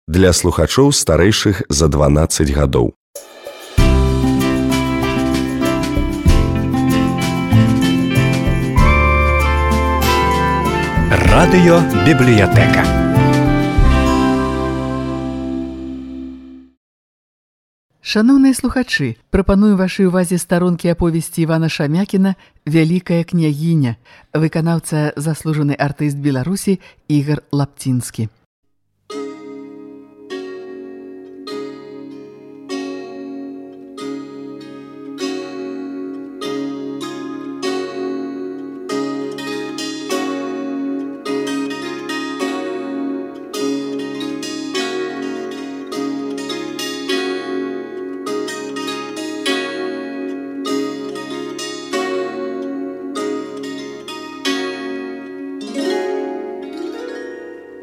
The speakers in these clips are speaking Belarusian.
для слухачоў старэйшых за 12 гадоў. Радыёбібліятэка. Шаноўныя слухачы, прапаную вашай увазе старонкі аповесці Івана Шамякіна «Вялікая княгіня», выканаўца заслужаны артыст Беларусі Ігар Лапцінскі.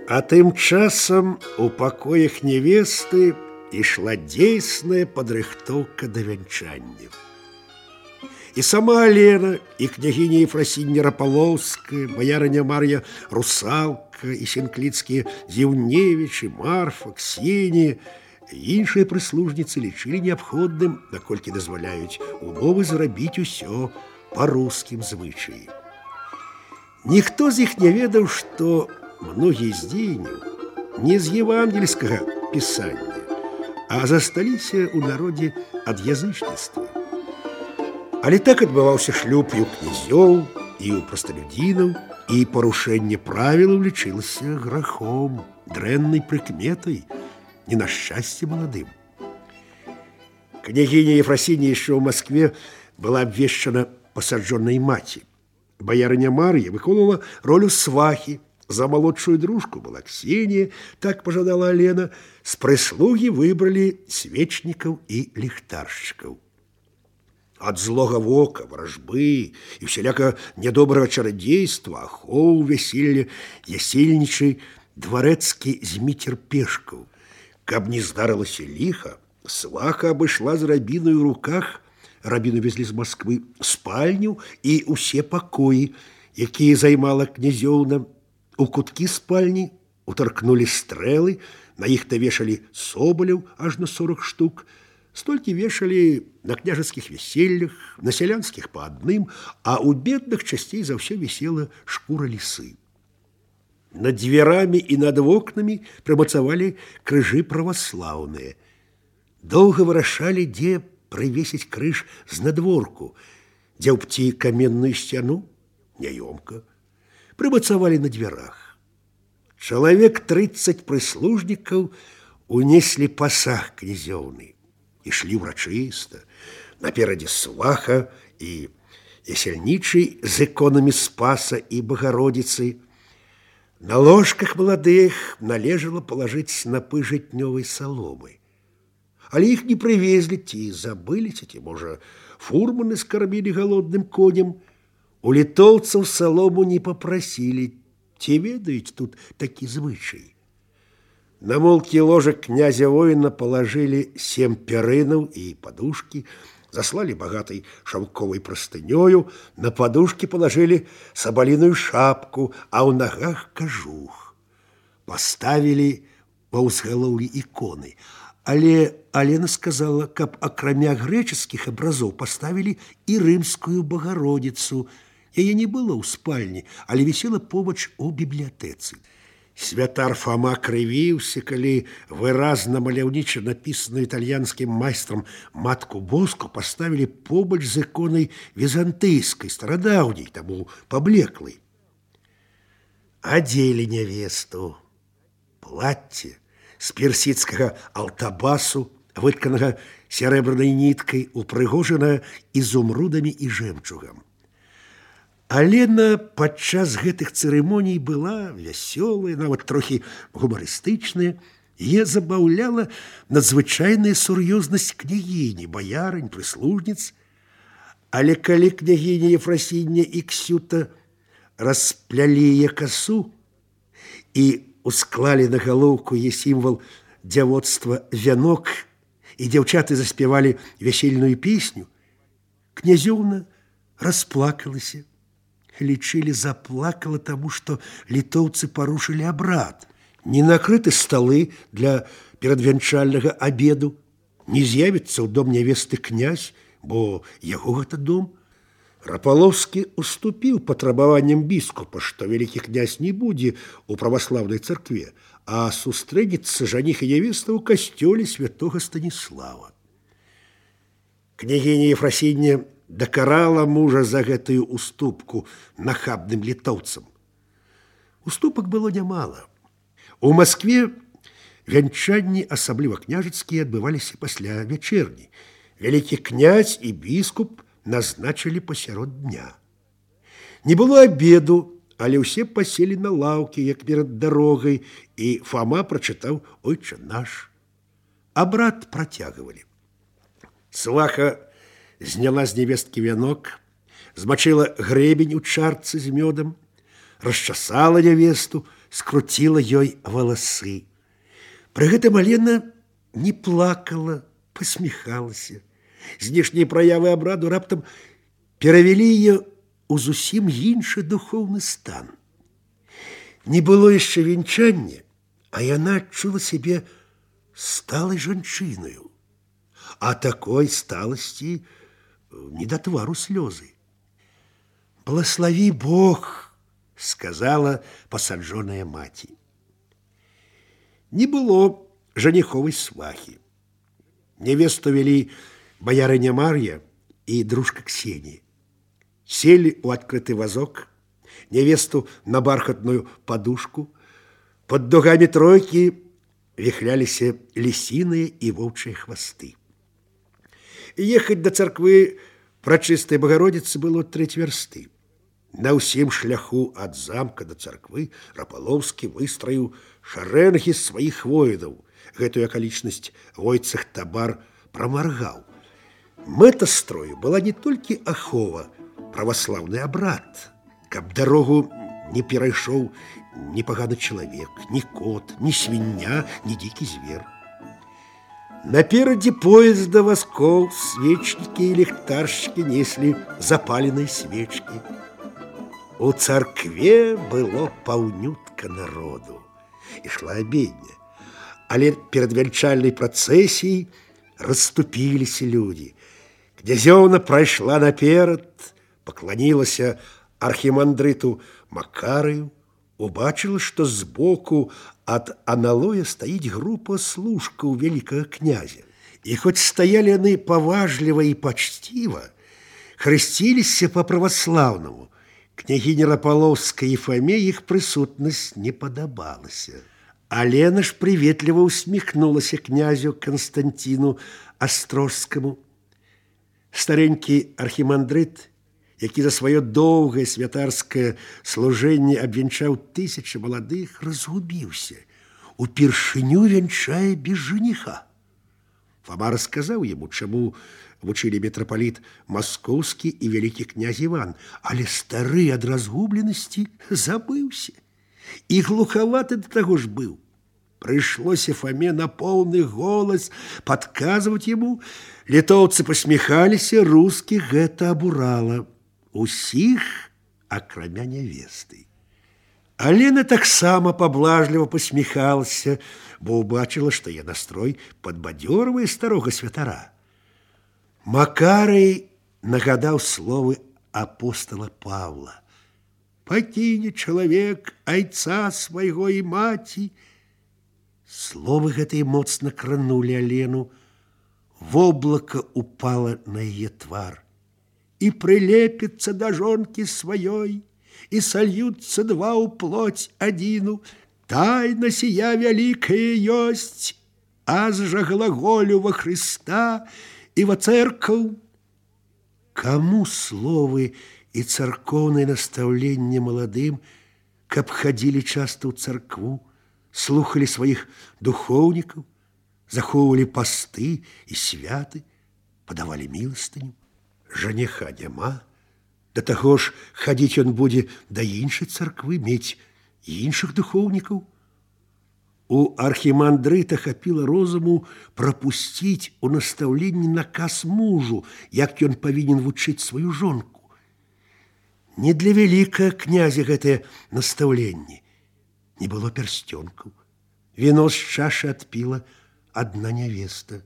А тым часам у пакоях нявесты ішла дзейсная падрыхтоўка да вянчання. І сама Алена, і княгіня Ефрасіння Рапалоўская, баярыня Мар'я Русалка, і сенкліцкія Зіўневічы, Марфа, Ксенія, іншыя прыслужніцы лічылі неабходным, наколькі дазваляюць умовы, зрабіць усё па рускім звычаі. Ніхто з іх не ведаў, што многія з дзеянняў не з евангельскага пісання, а засталіся ў народзе ад язычніцтва. Але так адбываўся шлюб і ў князёў, і ў прасталюдзінаў, і парушэнне правілаў лічылася грахом, дрэннай прыкметай, не на шчасце маладым. Княгіня Ефрасіння яшчэ ў Маскве была абвешчана пасаджонай маці. Баярыня Мар'я выконвала ролю свахі. За малодшую дружку была Ксенія, так пажадала Алена. З прыслугі выбралі свечнікаў і ліхтаршчыкаў. Ад злога вока, варажбы і усяляка нядобрага чарадзейства, ахоў вяселля ясельнічай дварэцкі Зміцер Пешкаў. Каб не здарылася ліха, сваха абышла з рабінай у руках, рабіну везлі з Масквы, спальню і ўсе пакоі, якія займала князёўна. У куткі спальні утаркнулі стрэлы, на іх навешалі собаляў аж на 40 штук. Столькі вешалі на княжацкіх вяселлях, на сялянскіх па адным, а ў бедных часцей за ўсё вісела шкура лісы. Над дзвярамі і над вокнамі прымацавалі крыжы праваслаўныя. Доўга вырашалі, дзе прывесіць крыж знадворку, дзе ўпці каменную сцяну, няёмка. Прымацавалі на дзвярах. Чалавек 30 прыслужнікаў унеслі пасаг князёўны. Ішлі ўрачыста, наперадзе сваха і ясельнічый з іконамі Спаса і Багародзіцы. На ложках маладых належала палажыць снапы жытнёвай саломы. Але іх не прывезлі, ці забыліся, ці, можа, фурманы скармілі галодным коням. У літоўцаў салому не папрасілі, ці ведаюць тут такі звычай. На молкі ложак князя воіна палажылі 7 пярынаў і падушкі, заслалі багатай шаўковай прастынёю, на падушкі палажылі сабаліную шапку, а ў нагах кажух. Паставілі па ўзгалоўлі іконы, але Алена сказала, каб акрамя грэчаскіх абразоў паставілі і рымскую Багародзіцу. Яе не было ў спальні, але вісела побач у бібліятэцы. Святар Фома крывіўся, калі выразна маляўніча напісаную італьянскім майстрам матку Боску паставілі побач з іконай візантыйскай, старадаўняй, таму паблеклай. Адзелі нявесту. Плацце з персідскага алтабасу, вытканага сярэбранай ніткай, упрыгожана ізумрудамі і жэмчугам. Алена падчас гэтых цырымоній была вясёлая, нават трохі гумарыстычная. Яе забаўляла надзвычайная сур'ёзнасць княгіні, баярынь, прыслужніц. Але калі княгіня Ефрасіння і Ксюта расплялі яе касу і усклалі на галоўку яе сімвал дзявоцтва вянок, і дзяўчаты заспявалі вясельную песню, князёўна расплакалася. Лічылі, заплакала, таму што літоўцы парушылі абрад. не накрыты сталы для перадвянчальнага абеду, не з'явіцца ў дом нявесты князь, бо яго гэта дом. Рапаловскі уступіў патрабаванням біскупа, што вялікі князь не будзе ў праваслаўнай царкве, а сустрэнецца жаніх і нявеста ў касцёле святога Станіслава. Княгіня Ефрасіння дакарала мужа за гэтую уступку нахабным літоўцам. Уступак было нямала. У Маскве вянчанні, асабліва княжацкія, адбываліся пасля вячэрні. Вялікі князь і біскуп назначылі пасярод дня. Не было абеду, але ўсе паселі на лаўкі, як перад дарогай, і Фома прачытаў «Ойче наш». Абрад працягвалі. Сваха зняла з нявесткі вянок, змачыла грэбень у чарцы з мёдам, расчасала нявесту, скруціла ёй валасы. Пры гэтым Алена не плакала, пасміхалася. Знешнія праявы абраду раптам перавялі яе ў зусім іншы духоўны стан. Не было яшчэ венчання, а яна адчула сябе сталай жанчынаю. А такой сталасці не да твару слёзы. «Благослови Бог», — сказала пасаджоная маці. Не было жаніховай свахі. Нявесту вялі баярыня Мар'я і дружка Ксенія. Селі ў адкрыты вазок, нявесту на бархатную падушку. Пад дугамі тройкі віхляліся лісіныя і воўчыя хвасты. Ехаць да царквы прачыстай Багародзіцы было 3 вярсты. На ўсім шляху ад замка да царквы Рапаловскі выстраіў шарэнгі сваіх воінаў. Гэтую акалічнасць Войцах Табар прамаргаў. Мэта строю была не толькі ахова, праваслаўны абрад, каб дарогу не перайшоў ні паганы чалавек, ні кот, ні свіння, ні дзікі звер. Наперадзе поезда вазкоў свечнікі і ліхтаршчыкі неслі запаленыя свечкі. У царкве было паўнютка народу. Ішла абедня. Але перад вянчальнай працэсіяй расступіліся людзі. Князёўна прайшла наперад, пакланілася архімандрыту Макарыю, убачыла, што збоку ад аналоя стаіць група служкаў вялікага князя. І хоць стаялі яны паважліва і пачціва, хрысціліся па-праваслаўнаму, княгіні Рапаловскай і Фоме іх прысутнасць не падабалася. Алена ж прыветліва усміхнулася князю Канстанціну Астрожскаму. Старенькі архімандрыт, які за сваё доўгае святарскае служэнне абвянчаў 1000 маладых, разгубіўся. Упершыню вянчае без жаніха. Фома расказаў яму, чаму вучылі мітрапаліт Маскоўскі і вялікі князь Іван, але стары ад разгубленасці забыўся. І глухаваты да таго ж быў. Прыйшлося Фоме на поўны голас падказваць яму. Літоўцы пасміхаліся, рускіх гэта абурала. Усіх, акрамя нявесты. Алена таксама паблажліва пасміхалася, бо ўбачыла, што яе настрой падбадзёрвае старога святара. Макарый нагадаў словы апостала Павла. «Пакіне чалавек айца свайго і маці». Словы гэтыя моцна кранулі Алену. Воблака упала на яе твар. «І прылепіцца да жонкі сваёй, і сольюцца два ў плоть адзіну. Тайна сія вялікая ёсць, аз жа глаголю во Хрыста і во церкву». Каму словы і царкоўнае настаўленне маладым, каб хадзілі часта ў царкву, слухалі сваіх духоўнікаў, захоўвалі пасты і святы, падавалі міластыню. Жаніха няма, да таго ж хадзіць ён будзе да іншай царквы, мець іншых духоўнікаў. У архімандрыта хапіла розуму прапусціць у настаўленні наказ мужу, як ён павінен вучыць сваю жонку. Не для вялікага князя гэтае настаўленне. Не было пярсцёнкаў, Вино з чашы адпіла адна нявеста.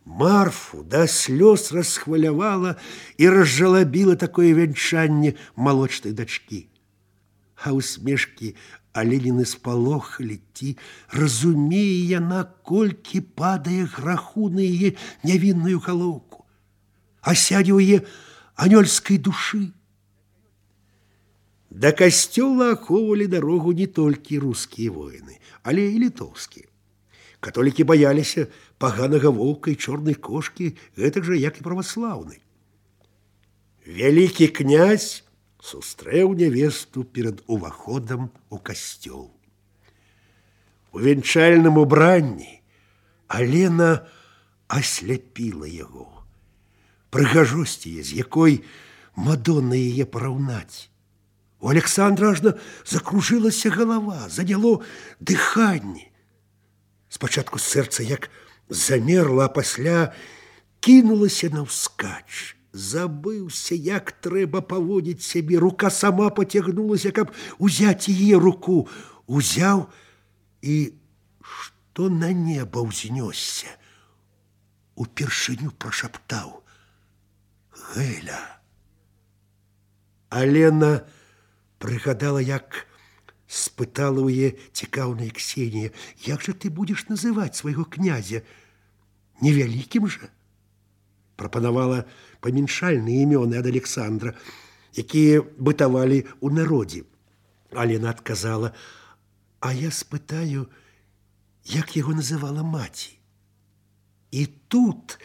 Марфу да слёз расхвалявала і разжалабіла такое вянчанне малочнай дачкі. А усмешкі Аленіны спалохалі, ці разумее яна, колькі падае граху на яе нявінную галоўку, а сядзе ў яе анёльскай душы. Да касцёла ахоўвалі дарогу не толькі рускія воіны, але і літоўскія. Католікі баяліся паганага воўка і чорнай кошкі, гэтак жа, як і праваслаўны. Вялікі князь сустрэў нявесту перад уваходам у касцёл. У венчальным убранні Алена асляпіла яго. Прыгажосць яе, з якой Мадонна яе параўнаць. У Александра ажно закружылася галава, заняло дыханне. Спачатку сэрца як замерла, а пасля кінулася наўскач. Забыўся, як трэба паводзіць сябе. Рука сама пацягнулася, каб узяць яе руку. Узяў і, што на неба ўзнёсся, упершыню прашаптаў: «Гэля». Алена прыгадала, як спытала ў яе цікаўная Ксенія: «Як жа ты будзеш называць свайго князя? Невялікім жа?» Прапанавала памяншальныя імёны ад Александра, якія бытавалі ў народзе. Алена адказала: «А я спытаю, як яго называла маці». І тут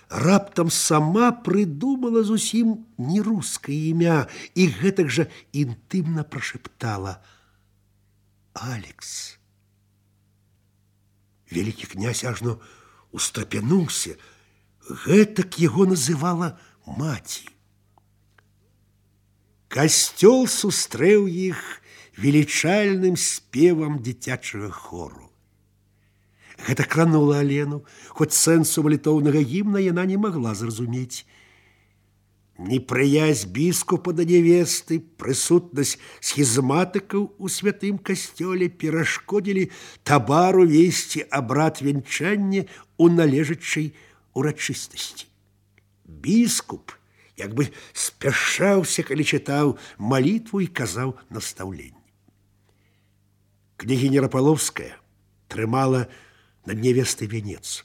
раптам сама прыдумала зусім не рускае імя і гэтак жа інтымна прашептала: «Алекс». Вялікі князь ажно устрапянуўся. Гэтак яго называла маці. Касцёл сустрэў іх велічальным спевам дзіцячага хору. Гэта кранула Алену, хоць сэнсу малітоўнага гімна яна не магла зразумець. Непрыязь біскупа да нявесты, прысутнасць схізматыкаў у святым касцёле перашкодзілі табару весці абрад вянчання ў належачай урачыстасці. Біскуп як бы спяшаўся, калі чытаў малітву і казаў настаўленні. Княгіня Рапаловская трымала над нявестай вянец.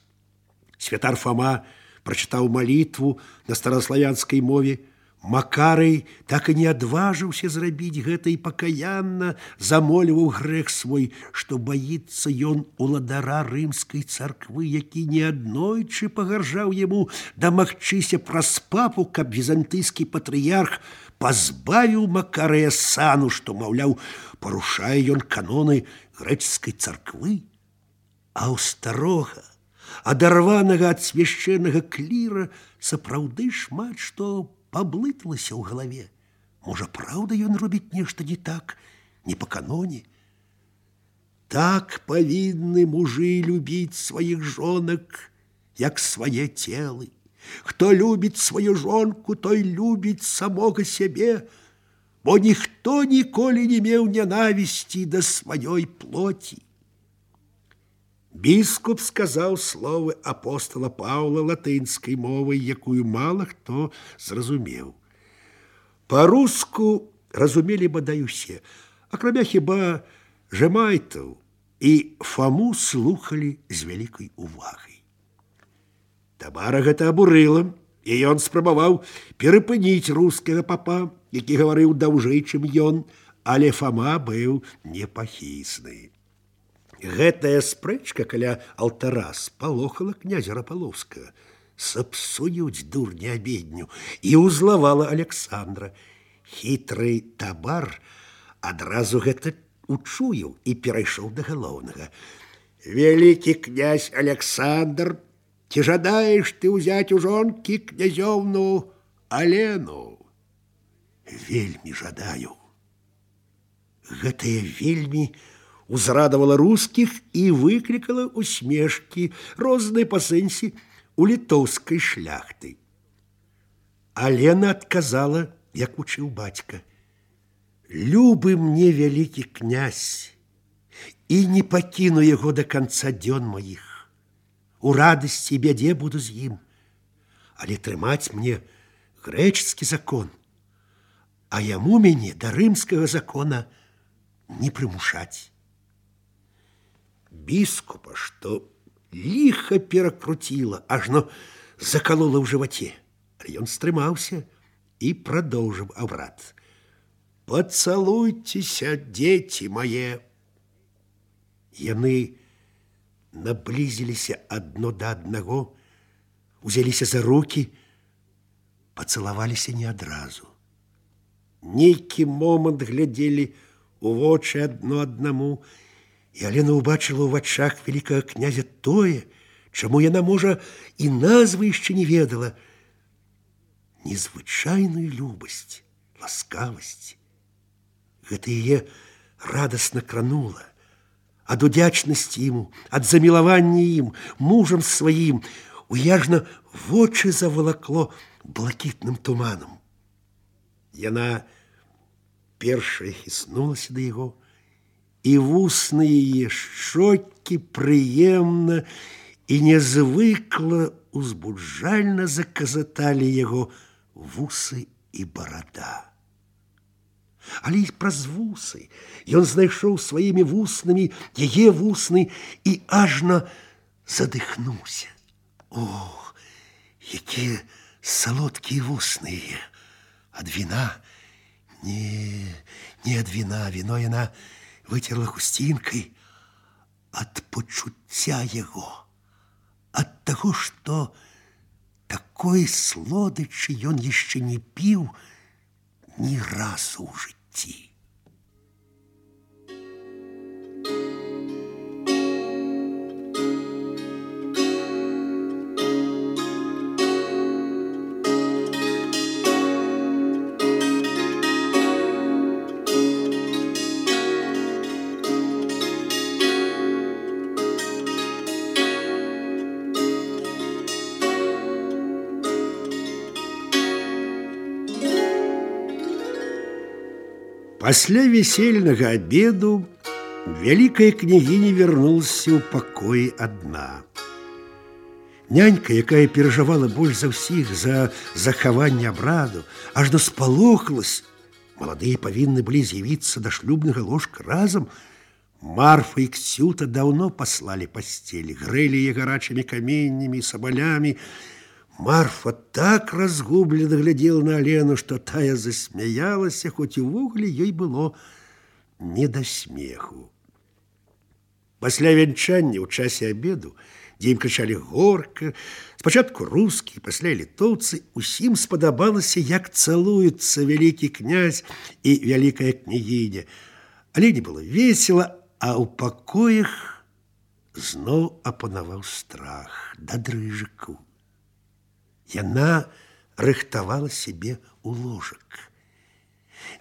Святар Фома прачытаў малітву на стараславянскай мове. Макарый так і не адважыўся зрабіць гэта і пакаянна замоліваў грэх свой, што баіцца ён уладара рымскай царквы, які неаднойчы пагаржаў яму дамагчыся праз папу, каб візантыйскі патрыярх пазбавіў Макарыя сану, што, маўляў, парушае ён каноны грэчаскай царквы. А ў старога, адарванага ад свяшчэннага кліра, сапраўды шмат што паблыталася ў галаве. Можа, праўда, ён робіць нешта не так, не па каноне? Так павінны мужы любіць сваіх жонак, як свае целы. Хто любіць сваю жонку, той любіць самога сябе, бо ніхто ніколі не меў нянавісці да сваёй плоці. Біскуп сказаў словы апостола Паўла латынскай мовай, якую мала хто зразумеў. Па-руску разумелі бадай усе, акрамя хіба жэмайтаў, і Фому слухалі з вялікай увагай. Табара гэта абурыла, і ён спрабаваў перапыніць рускага папа, які гаварыў даўжэй, чым ён, але Фома быў непахісны. Гэтая спрэчка каля алтара спалохала князя Рапаловскага. Сапсуюць дурні абедню, і ўзлавала Александра. Хітры табар адразу гэта учуяў і перайшоў да галоўнага. «Вялікі князь Александр, ці жадаеш ты ўзяць у жонкі князёўну Алену?» «Вельмі жадаю». Гэтае вельмі узрадавала рускіх і выклікала усмешкі, розныя па сэнсе у літоўскай шляхты. Алена адказала, як учыў бацька: «Любы мне вялікі князь, і не пакіну яго да канца дзён маіх. У радасці і бядзе буду з ім. Але трымаць мне грэчаскі закон, а яму мяне да рымскага закона не прымушаць. Біскупа, што ліха перакруціла, ажно закалола ў жываце. Але ён стрымаўся і прадоўжыў абрад. «Пацалуйцеся, дзеці мае!» Яны наблізіліся адно да аднаго, узяліся за рукі, пацалаваліся не адразу. Нейкі момант глядзелі у вочы адно аднаму, і Алена ўбачыла ў вачах вялікага князя тое, чаму яна, можа, і назвы яшчэ не ведала. Незвычайную любасць, ласкавасць. Гэта яе радасна кранула. Ад удзячнасці ему, ад замілавання ім, мужам сваім, уяжна вочы завалакло блакітным туманам. Яна першая хіснулася да яго, і вусны яе шчокі прыемна і нязвыкла узбуджальна заказаталі яго вусы і барада. Але і праз вусы ён знайшоў сваімі вуснамі яе вусны і ажна задыхнуўся. О, якія салодкія вусны яе! Ад віна? Не ад віна. Віно яна выцерла хусцінкай. Ад пачуцця яго. Ад таго, што такой слодычы ён яшчэ не піў ні разу ў жыцці. Пасля весельнага обеду вялікая княгіня вярнулася ў пакоі адна. Нянька, якая перажывала больш за ўсіх за захаванне абраду, ажно спалохалась. Маладыя павінны былі з'явіцца да шлюбнага ложка разам. Марфа і Ксюта даўно паслалі пасцелі, грэлі яе гарачымі каменнямі і сабалямі. Марфа так разгублена глядела на Алену, што тая засмяялася, хоць увогуле ёй было не да смеху. Пасля вянчання ў часе абеду, дзе ім крычалі горка, спачатку рускі, пасля літоўцы, усім спадабалася, як цалуюцца вялікі князь і вялікая княгіня. Алене было весела, а ў пакоях зноў апанаваў страх да дрыжыку. Яна рыхтавала сябе ў ложак.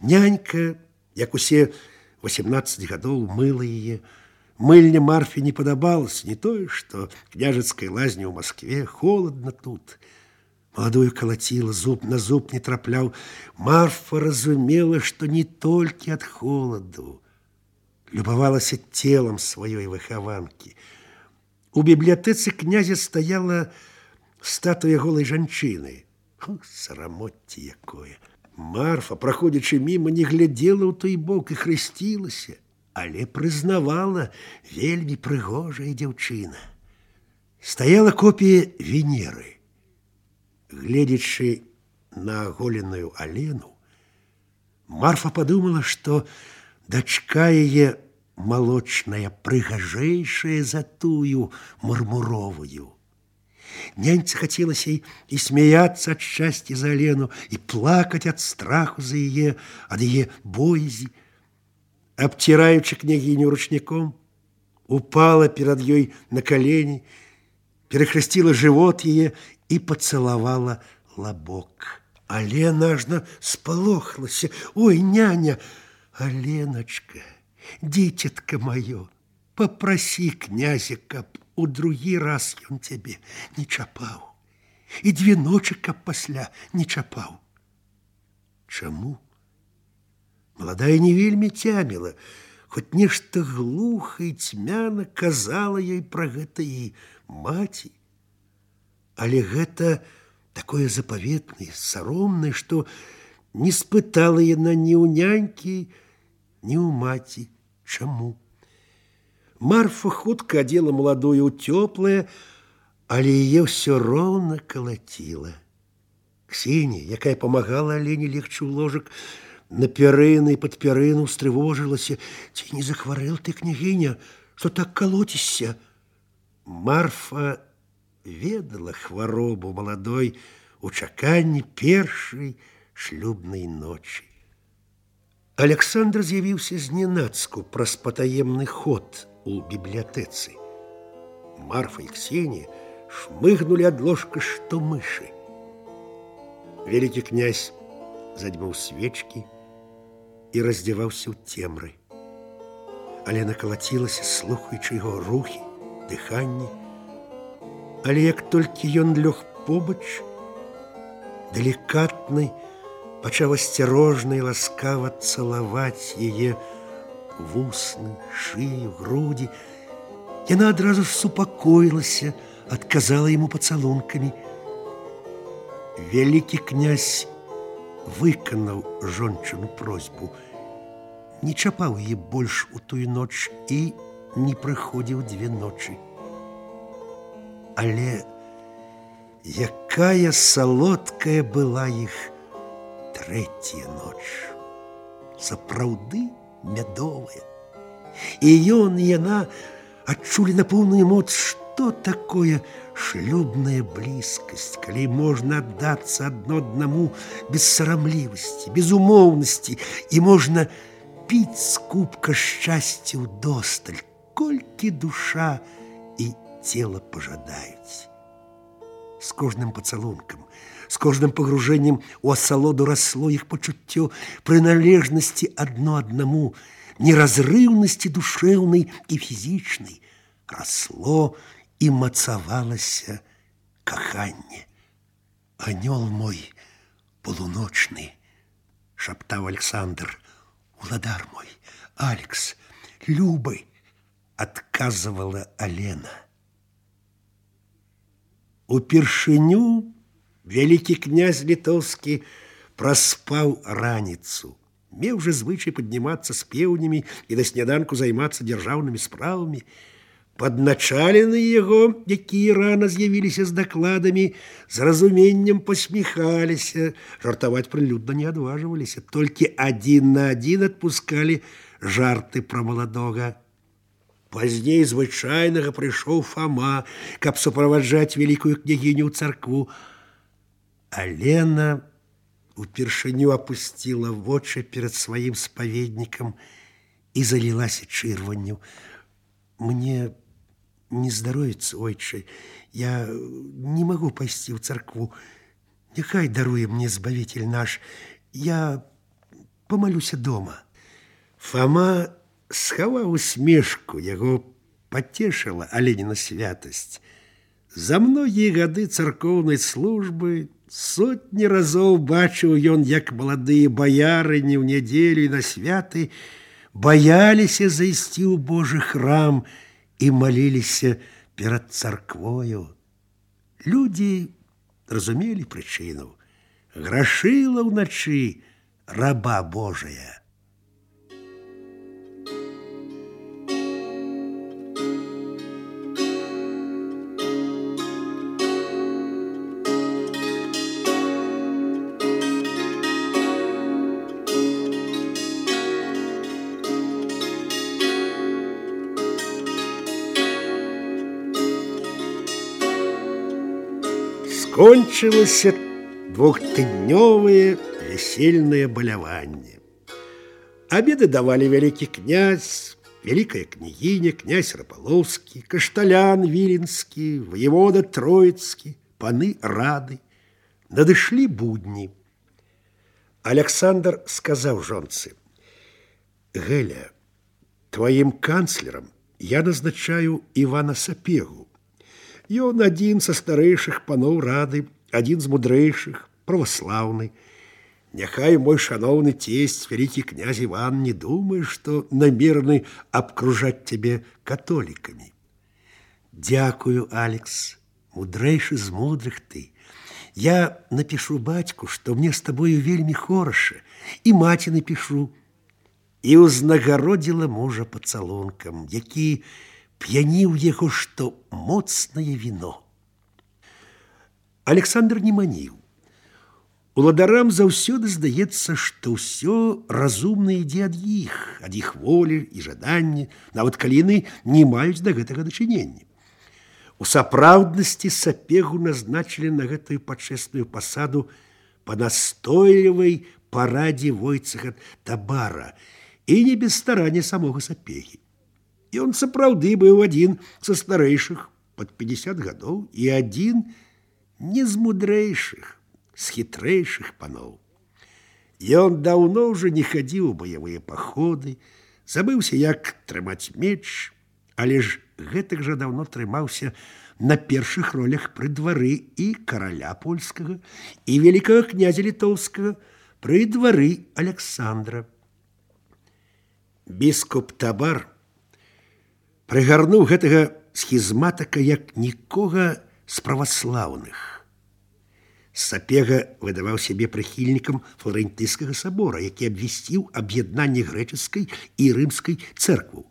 Нянька, як усе 18 гадоў, мыла яе. Мыльня Марфе не падабалася, не тое, што княжацкай лазні ў Маскве, холадна тут. Маладую калаціла, зуб на зуб не трапляў. Марфа разумела, што не толькі ад холаду. Любавалася целам сваёй выхаванкі. У бібліятэцы князя стаяла статуя голай жанчыны. Сарамоцце якое! Марфа, праходзячы міма, не глядзела ў той бок і хрысцілася, але прызнавала, вельмі прыгожая дзяўчына. Стаяла копія Венеры. Гледзячы на аголеную Алену, Марфа падумала, што дачка яе малочная прыгажэйшая за тую мармуровую. Няньцы хацелася і смяяцца ад шчасця за Алену, і плакаць ад страху за яе, ад яе боязі. Абціраючы княгіню ручніком, упала перад ёй на калені, перахрысціла жывот яе і пацалавала лабок. Алена ажно спалохалася. Ой, няня! Аленачка, дзіцятка маё, папрасі князя, каб у другі раз ён цябе не чапаў. І 2 ночы, каб пасля не чапаў. Чаму? Маладая не вельмі цяміла. хоць нешта глуха і цьмяна казала ёй пра гэта і маці. Але гэта такое запаветнае, саромнае, што не спытала яна ні ў нянькі, ні ў маці. Чаму? Марфа хутка адзела маладую ў цёплае, але яе ўсё роўна калаціла. Ксенія, якая памагала Алене легчы ў ложак, на пярыны і пад пярыну устрывожылася. Ці не захварэл ты, княгіня, што так калоцішся? Марфа ведала хваробу маладой у чаканні першай шлюбнай ночы. Александр з'явіўся зненацку праз патаемны ход у бібліятэцы. Марфа і Ксенія шмыгнулі ад ложка, што мышы. Вялікі князь задзьмуў свечкі і раздзяваўся ў цемры. Алена калацілася, слухаючы яго рухі, дыханне. Але як толькі ён лёг побач, далікатны пачаў асцярожна і ласкава цалаваць яе вусны, шыю, грудзі. Яна адразу ж супакоілася, адказала яму пацалункамі. Вялікі князь выканаў жончыну просьбу, не чапаў яе больш у тую ноч і не прыходзіў 2 ночы. Але якая салодкая была іх 3-я ноч, сапраўды мядовая. І ён, і яна адчулі на поўную моц, што такое шлюбная блізкасць, калі можна аддацца адно аднаму без сарамлівасці, без умоўнасці, і можна піць з кубка шчасця ўдосталь, колькі душа і цела пажадаюць. З кожным пацалункам, з кожным пагружэннем у асалоду расло іх пачуццё прыналежнасці адно аднаму, неразрыўнасці душэўнай і фізічнай. Расло і мацавалася каханне. «Анёл мой полуночны», – шаптаў Александр, – «уладар мой, Алекс, любы», – адказвала Алена. Упершыню вялікі князь літоўскі праспаў раніцу. Меў жа звычай паднімацца з пеўнямі і на сняданку займацца дзяржаўнымі справамі. Падначалены яго, якія рана з'явіліся з дакладамі, з разуменнем пасміхаліся, жартаваць прылюдна не адважваліся, толькі 1 на 1 адпускалі жарты пра маладога. Пазней звычайнага прыйшоў Фама, каб суправаджаць вялікую княгіню ў царкву. Алена упершыню апусціла вочы перад сваім спаведнікам і залілася чырванню. «Мне не здаровіцца, ойчы, я не магу пайсці ў царкву. Няхай даруе мне збавитель наш, я памалюся дома». Фама схаваў усмешку, яго пацешыла Аленіна святасць. За многія гады царкоўнай службы сотні разоў бачыў ён, як маладыя баярыні ў нядзелю і на святы баяліся зайсці ў Божы храм і маліліся перад царквою. Людзі разумелі прычыну. Грашыла ўначы раба Божая. Скончылася 2-тыднёвае весельнае баляванне. Абеды давалі вялікі князь, вялікая княгіня, князь Рапалоўскі, кашталян віленскі, воевода Троіцкі, паны рады. Надышлі будні. Александр сказаў жонцы: «Геля, тваім канцлерам я назначаю Івана Сапегу. Ён адзін са старэйшых паноў рады, адзін з мудрэйшых, праваслаўны. Няхай мой шановный тесть, великий князь Иван, не думай, что намерены обкружать тебе католиками. Дякую, Алекс, мудрейший з мудрых ты. Я напишу бацьку, што мне з табою вельмі хораша, і маці напишу. І ўзнагародзіла мужа пацалункам, які п'яніў яго, што моцнае віно. Александр не маніў. Уладарам заўсёды здаецца, што ўсё разумна ідзе ад іх волі і жаданні, нават калі яны не маюць да гэтага дачынення. У сапраўднасці Сапегу назначылі на гэтую пачэсную пасаду па настойлівай парадзе Войцэха Табара і не без старання самога Сапегі. Ён сапраўды быў адзін са старэйшых пад 50 гадоў і адзін не з мудрэйшых, з хітрэйшых паноў. Ён даўно ўжо не хадзіў у баявыя паходы, забыўся, як трымаць меч, але ж гэтак жа даўно трымаўся на першых ролях пры двары і караля польскага, і вялікага князя літоўскага пры двары Александра. Біскуп Табар прыгарнуў гэтага схізматака як нікога з праваслаўных. Сапега выдаваў сябе прыхільнікам Флорентыйскага сабора, які абвясціў аб'яднанне грэчаскай і рымскай цэркваў.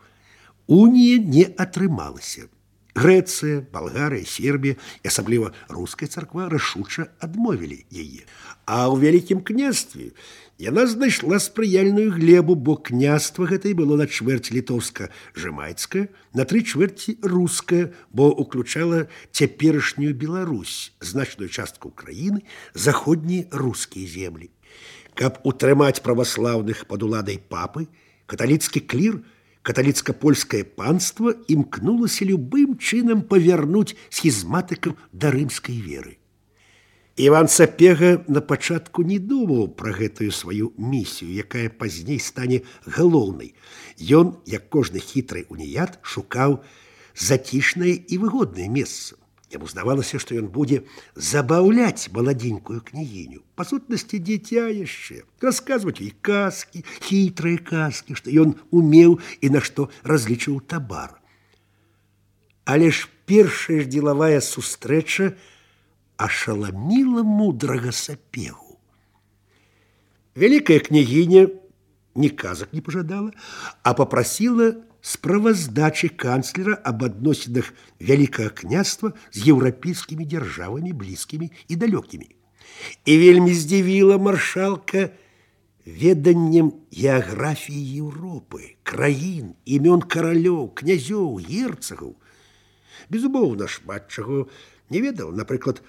Унія не атрымалася. Грэцыя, Балгарыя, Сербія і асабліва руская царква рашуча адмовілі яе. А ў вялікім княстве яна знайшла спрыяльную глебу, бо княства гэтае было на чвэрць літоўска-жэмайцкае, на 3/4 рускае, бо ўключала цяперашнюю Беларусь, значную частку краіны, заходнія рускія землі. Каб утрымаць праваслаўных пад уладай папы, каталіцкі клір, каталіцка-польскае панство імкнулася любым чынам павярнуць схізматыкам да рымскай веры. Іван Сапега на пачатку не думаў пра гэтую сваю місію, якая пазней стане галоўнай. Ён, як кожны хітры уніят, шукаў зацішнае і выгоднае месца. Яму здавалася, што ён будзе забаўляць маладзенькую княгіню. Па сутнасці дзіця яшчэ, расказваць ёй казкі, хітрыя казкі, што ён умеў і на што разлічыў Табар. Але ж першая ж дзелавая сустрэча ашаламіла мудрага Сапегу. Вялікая княгіня ні казак не пажадала, а папрасіла справаздачы канцлера аб адносінах вялікага княства з еўрапейскімі дзяржавамі, блізкімі і далёкімі. І вельмі здзівіла маршалка веданнем геаграфіі Еўропы, краін, імён каралёў, князёў, герцагаў. Безумоўна, шмат чаго не ведаў, напрыклад,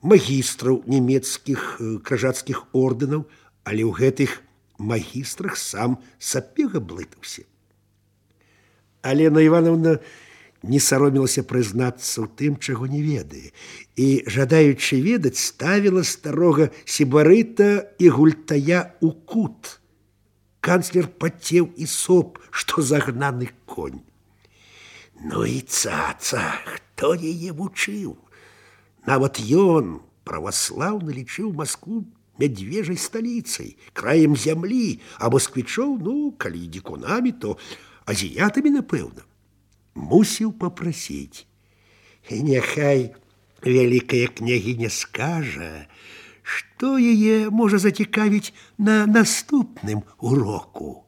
магістраў нямецкіх крыжацкіх ордэнаў, але ў гэтых магістрах сам Сапега блытаўся. Алена Івановна не саромілася прызнацца ў тым, чаго не ведае, і, жадаючы ведаць, ставіла старога сібарыта і гультая ў кут. Канцлер пацеў і соп, што загнаны конь. Ну і цаца, хто яе вучыў? Нават ён, праваслаўны, лічыў Маскву мядзвежай сталіцай, краем зямлі, а москвічоў, ну, калі дзікунамі, то азіятамі, напэўна. Мусіў папрасіць. І няхай вялікая княгіня скажа, што яе можа зацікавіць на наступным уроку.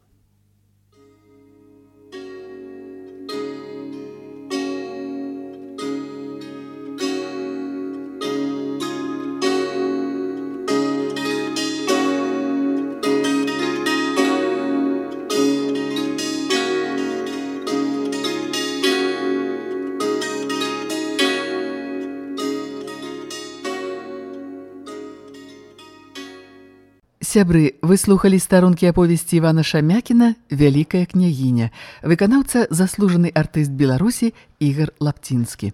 Сябры, вы слухалі старонкі аповесці Івана Шамякіна «Вялікая княгіня», выканаўца заслужаны артыст Беларусі Ігар Лапцінскі.